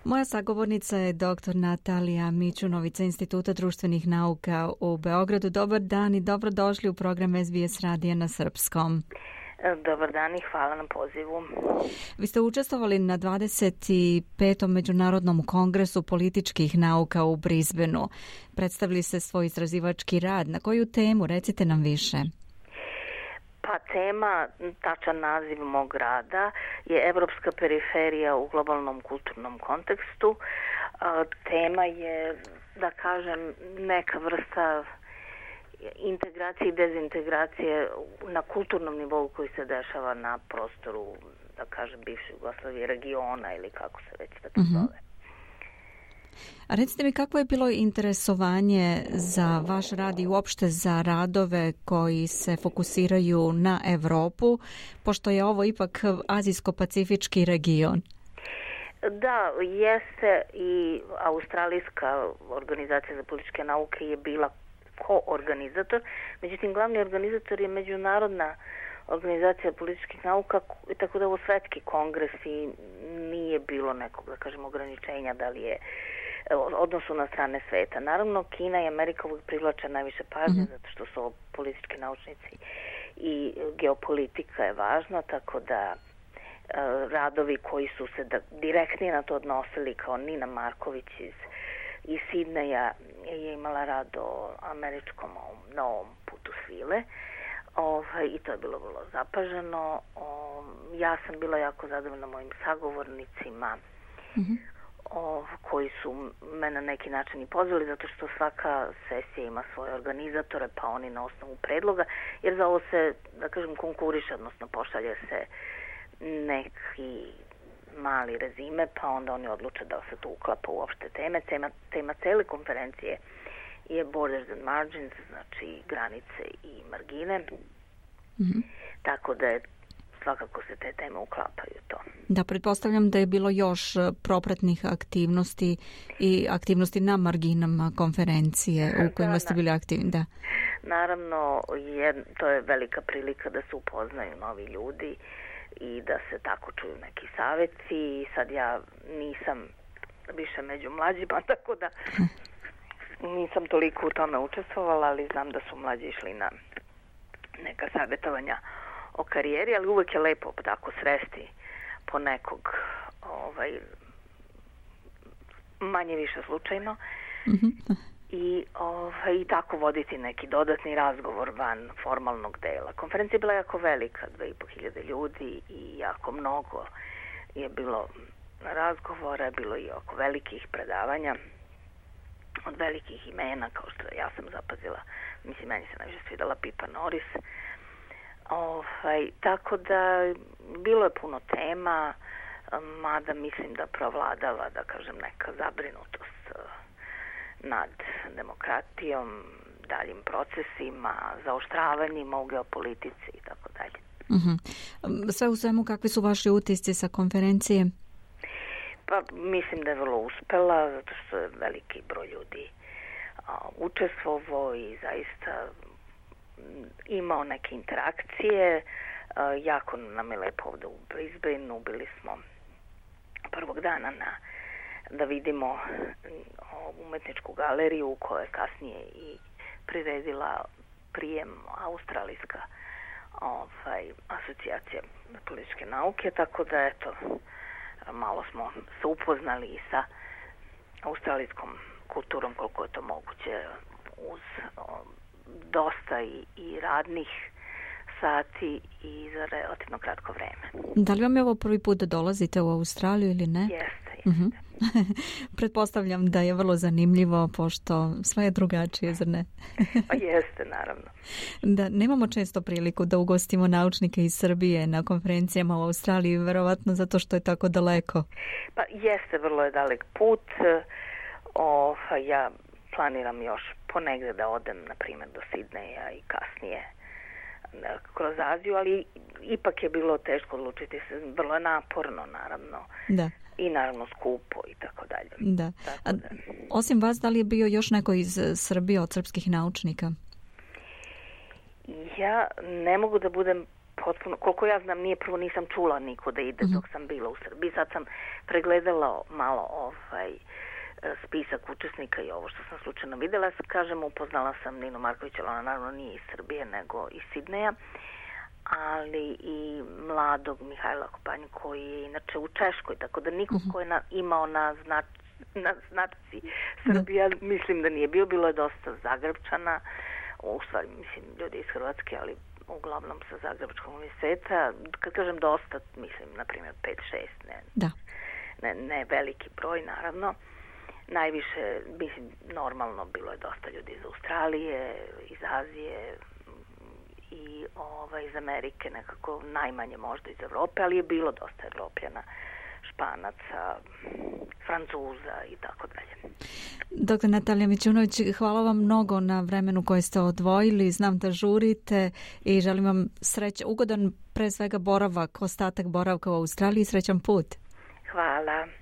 Moja sagovornica je dr. Natalija Mićunović sa Instituta društvenih nauka u Beogradu. Dobar dan i dobrodošli u program SBS radija na srpskom. Dobar dan i hvala na pozivu. Vi ste učestvovali na 25. Međunarodnom kongresu političkih nauka u Brisbaneu. Predstavili ste svoj istraživački rad. Na koju temu? Recite nam više. Pa tema, tačan naziv mog rada je Evropska periferija u globalnom kulturnom kontekstu. Tema je, da kažem, neka vrsta integracije i dezintegracije na kulturnom nivou koji se dešava na prostoru, da kažem, bivše Jugoslavije, regiona ili kako se već tako zove. A recite mi, kakvo je bilo interesovanje za vaš rad i uopšte za radove koji se fokusiraju na Evropu, pošto je ovo ipak azijsko-pacifički region? Da, jeste, i Australijska organizacija za političke nauke je bila koorganizator, međutim glavni organizator je Međunarodna organizacija političkih nauka, tako da ovo svetski kongres i nije bilo nekog, da kažem, ograničenja da li je odnosu na strane sveta. Naravno, Kina i Amerika uvijek privlače najviše pažnje, zato što su ovo politički naučnici i geopolitika je važna, tako da radovi koji su se direktnije na to odnosili, kao Nina Marković iz Sidneja je imala rad o američkom novom putu svile, i to je bilo vrlo zapaženo. Ja sam bila jako zadovoljna mojim sagovornicima, koji su me na neki način i pozvali, zato što svaka sesija ima svoje organizatore, pa oni na osnovu predloga, jer za ovo se, da kažem, konkuriše, odnosno pošalje se neki mali rezime, pa onda oni odluče da se to uklapa u opšte teme. Tema cele konferencije je Borders and Margins, znači granice i margine, tako da je svakako se te teme uklapaju to. Da, pretpostavljam da je bilo još propratnih aktivnosti i aktivnosti na marginama konferencije u kojima ste bili aktivni. Da. Naravno, to je velika prilika da se upoznaju novi ljudi i da se tako čuju neki savjeti. Sad ja nisam više među mlađima, tako da nisam toliko u tome učestvovala, ali znam da su mlađi išli na neka savjetovanja o karijeri, ali uvijek je lepo tako sresti po nekog manje više slučajno i tako voditi neki dodatni razgovor van formalnog dela. Konferencija je bila jako velika, 2500 ljudi i jako mnogo je bilo razgovora, bilo i oko velikih predavanja od velikih imena, kao što ja sam zapazila, mislim, meni se najviše svidala Pippa Norris. Tako da bilo je puno tema, mada mislim da provladava, da kažem, neka zabrinutost nad demokratijom, daljim procesima, zaoštravanjima u geopolitici i tako dalje. Sve u svemu, kakvi su vaši utisci sa konferencije? Pa mislim da je vrlo uspela, zato što je veliki broj ljudi učestvovao i zaista imao neke interakcije. Jako nam je lepo ovdje u Brisbaneu, bili smo prvog dana da vidimo umetničku galeriju koja je kasnije i priredila prijem Australijska asocijacija političke nauke, tako da eto, malo smo se upoznali i sa australijskom kulturom koliko je to moguće uz dosta i radnih sati i za relativno kratko vreme. Da li vam je ovo prvi put da dolazite u Australiju ili ne? Jeste. Pretpostavljam da je vrlo zanimljivo, pošto sve je drugačije, zar ne? Pa jeste, naravno. Da, nemamo često priliku da ugostimo naučnike iz Srbije na konferencijama u Australiji, verovatno zato što je tako daleko. Pa jeste, vrlo je dalek put. Ja planiram još ponegde da odem, na primjer, do Sidneja i kasnije kroz Aziju, ali ipak je bilo teško odlučiti se, vrlo je naporno, naravno. Da. I naravno skupo i tako dalje. Da. Osim vas, da li je bio još neko iz Srbije od srpskih naučnika? Ja ne mogu da budem potpuno, koliko ja znam, nisam čula niko da ide dok sam bila u Srbiji. Sad sam pregledala malo spisak učesnika i ovo što sam slučajno videla. Kažem, upoznala sam Ninu Marković, ali ona naravno nije iz Srbije, nego iz Sidneja, ali i mladog Mihajla Kopanju koji je inače u Češkoj, tako da niko ko je imao na značci Srbija, mislim da nije bilo je dosta Zagrebčana, u stvari mislim ljudi iz Hrvatske, ali uglavnom sa Zagrebačkog univerziteta. Kad kažem dosta, mislim na primjer 5-6, ne veliki broj naravno. Najviše, mislim, normalno bilo je dosta ljudi iz Australije, iz Azije i iz Amerike, nekako najmanje možda iz Evrope, ali je bilo dosta Evropljana, Španaca, Francuza i tako dalje. Dr. Natalija Mićunović, hvala vam mnogo na vremenu koje ste odvojili. Znam da žurite i želim vam ugodan pre svega boravak, ostatak boravka u Australiji i srećan put. Hvala.